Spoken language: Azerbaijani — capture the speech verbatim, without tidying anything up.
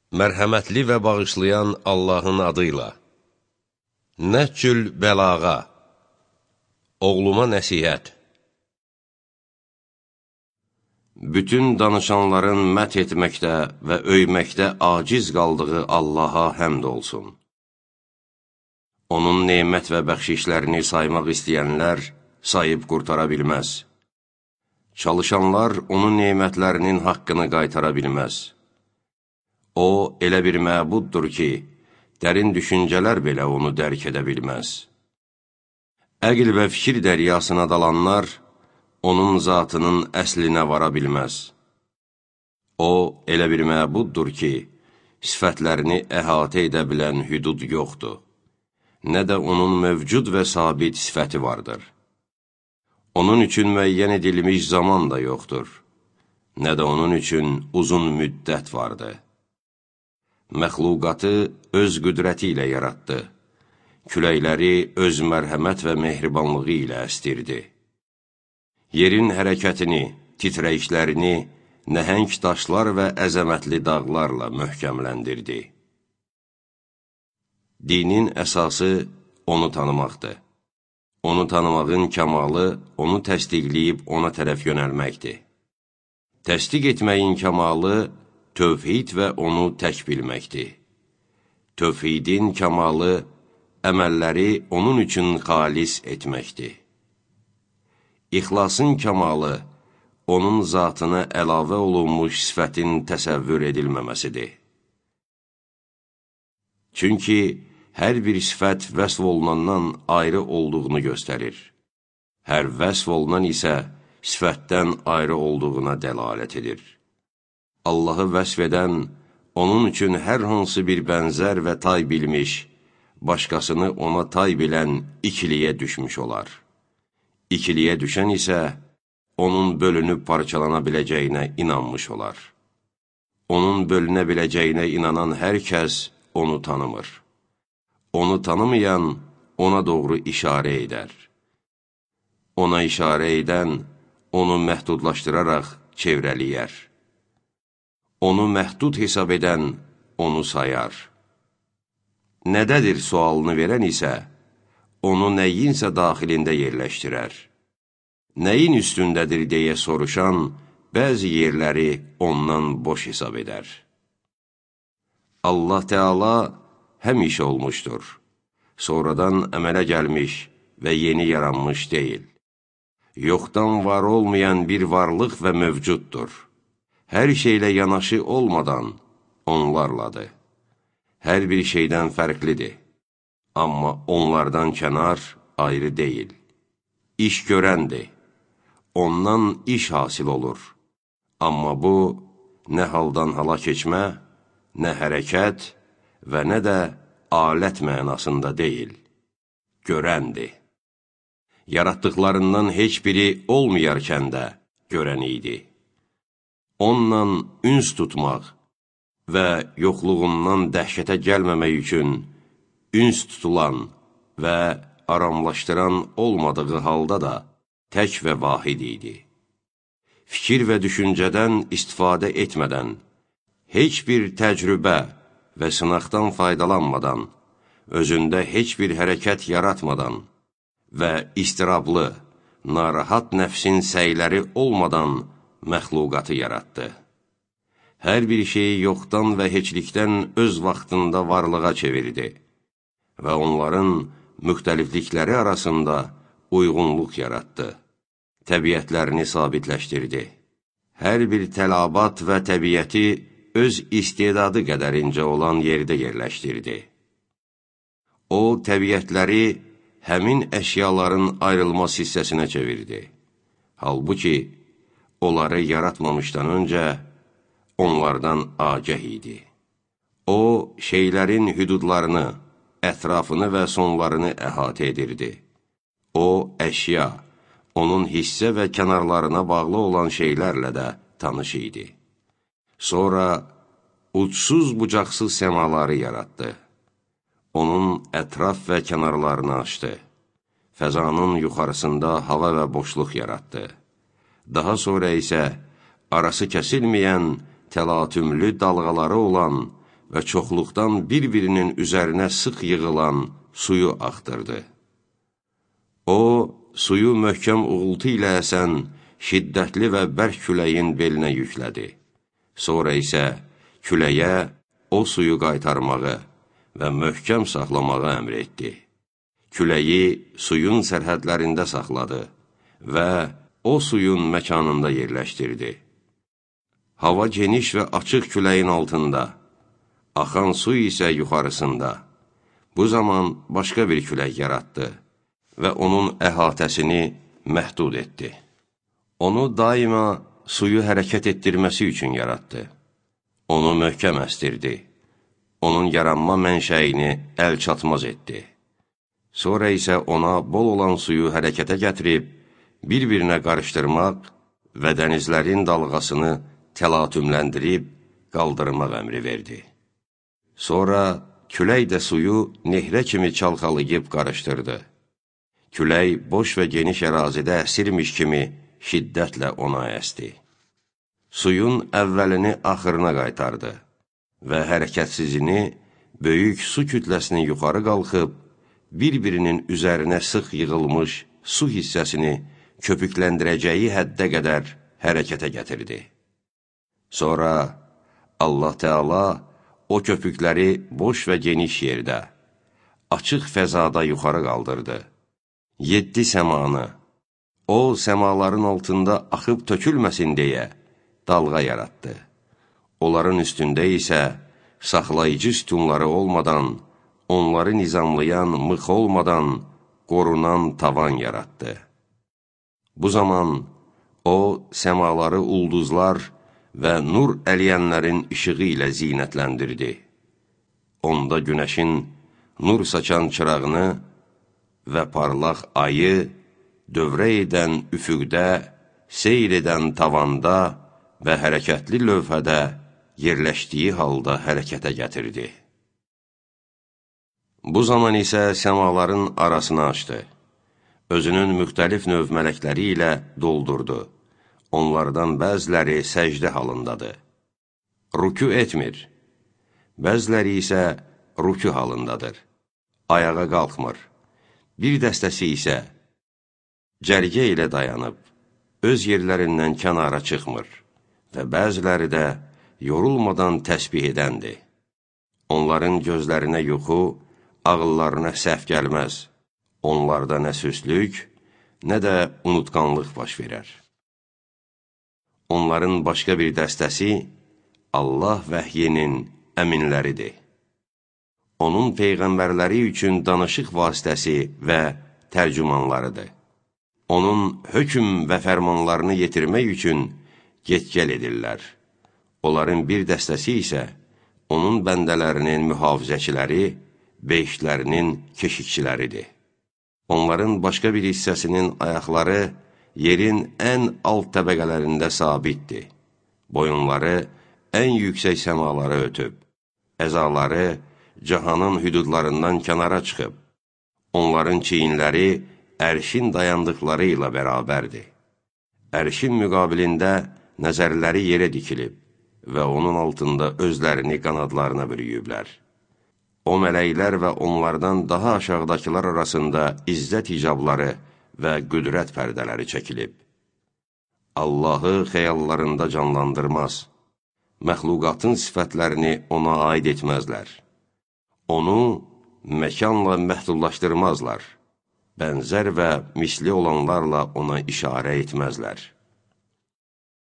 Mərhəmətli və bağışlayan Allahın adıyla. Nəhcül bəlağa. Oğluma nəsihət. Bütün danışanların mət etməkdə və öyməkdə aciz qaldığı Allaha həmd olsun. Onun nemət və bəxşişlərini saymaq istəyənlər sayıb qurtara bilməz. Çalışanlar onun nemətlərinin haqqını qaytara bilməz. O, elə bir məbuddur ki, dərin düşüncələr belə onu dərk edə bilməz. Əql və fikir dəryasına dalanlar, onun zatının əslinə vara bilməz. O, elə bir məbuddur ki, sifətlərini əhatə edə bilən hüdud yoxdur. Nə də onun mövcud və sabit sifəti vardır. Onun üçün müəyyən edilmiş zaman da yoxdur. Nə də onun üçün uzun müddət vardır. Məxluqatı öz qüdrəti ilə yaratdı. Küləkləri öz mərhəmət və mehribanlığı ilə əstirdi. Yerin hərəkətini, titrəyişlərini nəhəng daşlar və əzəmətli dağlarla möhkəmləndirdi. Dinin əsası onu tanımaqdır. Onu tanımağın kəmalı, onu təsdiqləyib ona tərəf yönəlməkdir. Təsdiq etməyin kəmalı, tövhid və onu tək bilməkdir. Tövhidin kəmalı, əməlləri onun üçün xalis etməkdir. İxlasın kəmalı, onun zatına əlavə olunmuş sifətin təsəvvür edilməməsidir. Çünki hər bir sifət vəsv olunandan ayrı olduğunu göstərir. Hər vəsv olunan isə sifətdən ayrı olduğuna dəlalət edir. Allahı vəsf edən, onun üçün hər hansı bir bənzər və tay bilmiş, başqasını ona tay bilən ikiliyə düşmüş olar. İkiliyə düşən isə, onun bölünüb parçalana biləcəyinə inanmış olar. Onun bölünə biləcəyinə inanan hər kəs onu tanımır. Onu tanımayan ona doğru işarə edər. Ona işarə edən, onu məhdudlaşdıraraq çevrəliyər. Onu məhdud hesab edən, onu sayar. Nədədir sualını verən isə, onu nəyinsə daxilində yerləşdirər. Nəyin üstündədir deyə soruşan, bəzi yerləri ondan boş hesab edər. Allah Teala həmişə olmuşdur. Sonradan əmələ gəlmiş və yeni yaranmış deyil. Yoxdan var olmayan bir varlıq və mövcuddur. Hər şeylə yanaşı olmadan onlarladır. Hər bir şeydən fərqlidir. Amma onlardan kənar ayrı deyil. İş görəndir. Ondan iş hasil olur. Amma bu, nə haldan hala keçmə, nə hərəkət və nə də alət mənasında deyil. Görəndir. Yaratdıqlarından heç biri olmayarkən də görən idi. Onunla üns tutmaq və yoxluğundan dəhşətə gəlməmək üçün üns tutulan və aramlaşdıran olmadığı halda da tək və vahid idi. Fikir və düşüncədən istifadə etmədən, heç bir təcrübə və sınaqdan faydalanmadan, özündə heç bir hərəkət yaratmadan və istirablı, narahat nəfsin səyləri olmadan məxluqatı yaratdı. Hər bir şeyi yoxdan və heçlikdən öz vaxtında varlığa çevirdi və onların müxtəliflikləri arasında uyğunluq yaratdı. Təbiətlərini sabitləşdirdi. Hər bir tələbat və təbiəti öz istedadı qədərincə olan yerdə yerləşdirdi. O, təbiətləri həmin əşyaların ayrılmaz hissəsinə çevirdi. Halbuki, onları yaratmamışdan öncə onlardan agəh idi. O, şeylərin hüdudlarını, ətrafını və sonlarını əhatə edirdi. O, əşya, onun hissə və kənarlarına bağlı olan şeylərlə də tanış idi. Sonra, uçsuz-bucaqsız səmaları yaratdı. Onun ətraf və kənarlarını açdı. Fəzanın yuxarısında hava və boşluq yaratdı. Daha sonra isə arası kəsilməyən təlatümlü dalğaları olan və çoxluqdan bir-birinin üzərinə sıx yığılan suyu axdırdı. O, suyu möhkəm uğultu ilə əsən, şiddətli və bərk küləyin belinə yüklədi. Sonra isə küləyə o suyu qaytarmağı və möhkəm saxlamağı əmr etdi. Küləyi suyun sərhədlərində saxladı və o suyun məkanında yerləşdirdi. Hava geniş və açıq küləyin altında, axan su isə yuxarısında. Bu zaman başqa bir külək yaratdı və onun əhatəsini məhdud etdi. Onu daima suyu hərəkət etdirməsi üçün yaratdı. Onu möhkəm əstirdi. Onun yaranma mənşəyini əl çatmaz etdi. Sonra isə ona bol olan suyu hərəkətə gətirib, bir-birinə qarışdırmaq və dənizlərin dalğasını təlatümləndirib qaldırmaq əmri verdi. Sonra külək də suyu nehrə kimi çalxalayıb qarışdırdı. Külək boş və geniş ərazidə əsirmiş kimi şiddətlə ona əsdi. Suyun əvvəlini axırına qaytardı və hərəkətsizini, böyük su kütləsini yuxarı qalxıb, bir-birinin üzərinə sıx yığılmış su hissəsini köpükləndirəcəyi həddə qədər hərəkətə gətirdi. Sonra Allah Teala o köpükləri boş və geniş yerdə, açıq fəzada yuxarı qaldırdı. Yeddi səmanı, o səmaların altında axıb tökülməsin deyə dalğa yaratdı. Onların üstündə isə saxlayıcı sütunları olmadan, onları nizamlayan mıx olmadan qorunan tavan yaratdı. Bu zaman o səmaları ulduzlar və nur əliyənlərin işığı ilə zinətləndirdi. Onda günəşin nur saçan çırağını və parlaq ayı, dövrə edən üfüqdə, seyr edən tavanda və hərəkətli lövhədə yerləşdiyi halda hərəkətə gətirdi. Bu zaman isə səmaların arasını açdı. Özünün müxtəlif növ mələkləri ilə doldurdu. Onlardan bəziləri səcdə halındadır. Rükü etmir. Bəziləri isə rükü halındadır. Ayağa qalxmır. Bir dəstəsi isə cərgə ilə dayanıb, öz yerlərindən kənara çıxmır və bəziləri də yorulmadan təsbih edəndir. Onların gözlərinə yuxu, ağıllarına səhv gəlməz. Onlarda nə süslük, nə də unutqanlıq baş verər. Onların başqa bir dəstəsi Allah vəhyinin əminləridir. Onun peyğəmbərləri üçün danışıq vasitəsi və tərcümanlarıdır. Onun hökm və fərmanlarını yetirmək üçün get-gəl edirlər. Onların bir dəstəsi isə onun bəndələrinin mühafizəçiləri, beşlərinin keşikçiləridir. Onların başqa bir hissəsinin ayaqları yerin ən alt təbəqələrində sabitdir. Boyunları ən yüksək səmalara ötüb. Əzaları cahanın hüdudlarından kənara çıxıb. Onların çiyinləri ərşin dayandıqları ilə bərabərdir. Ərşin müqabilində nəzərləri yerə dikilib və onun altında özlərini qanadlarına bürüyüblər. O mələklər və onlardan daha aşağıdakılar arasında izzət hicabları və qüdrət pərdələri çəkilib. Allahı xəyallarında canlandırmaz, məxluqatın sifətlərini ona aid etməzlər. Onu məkanla məhdudlaşdırmazlar, bənzər və misli olanlarla ona işarə etməzlər.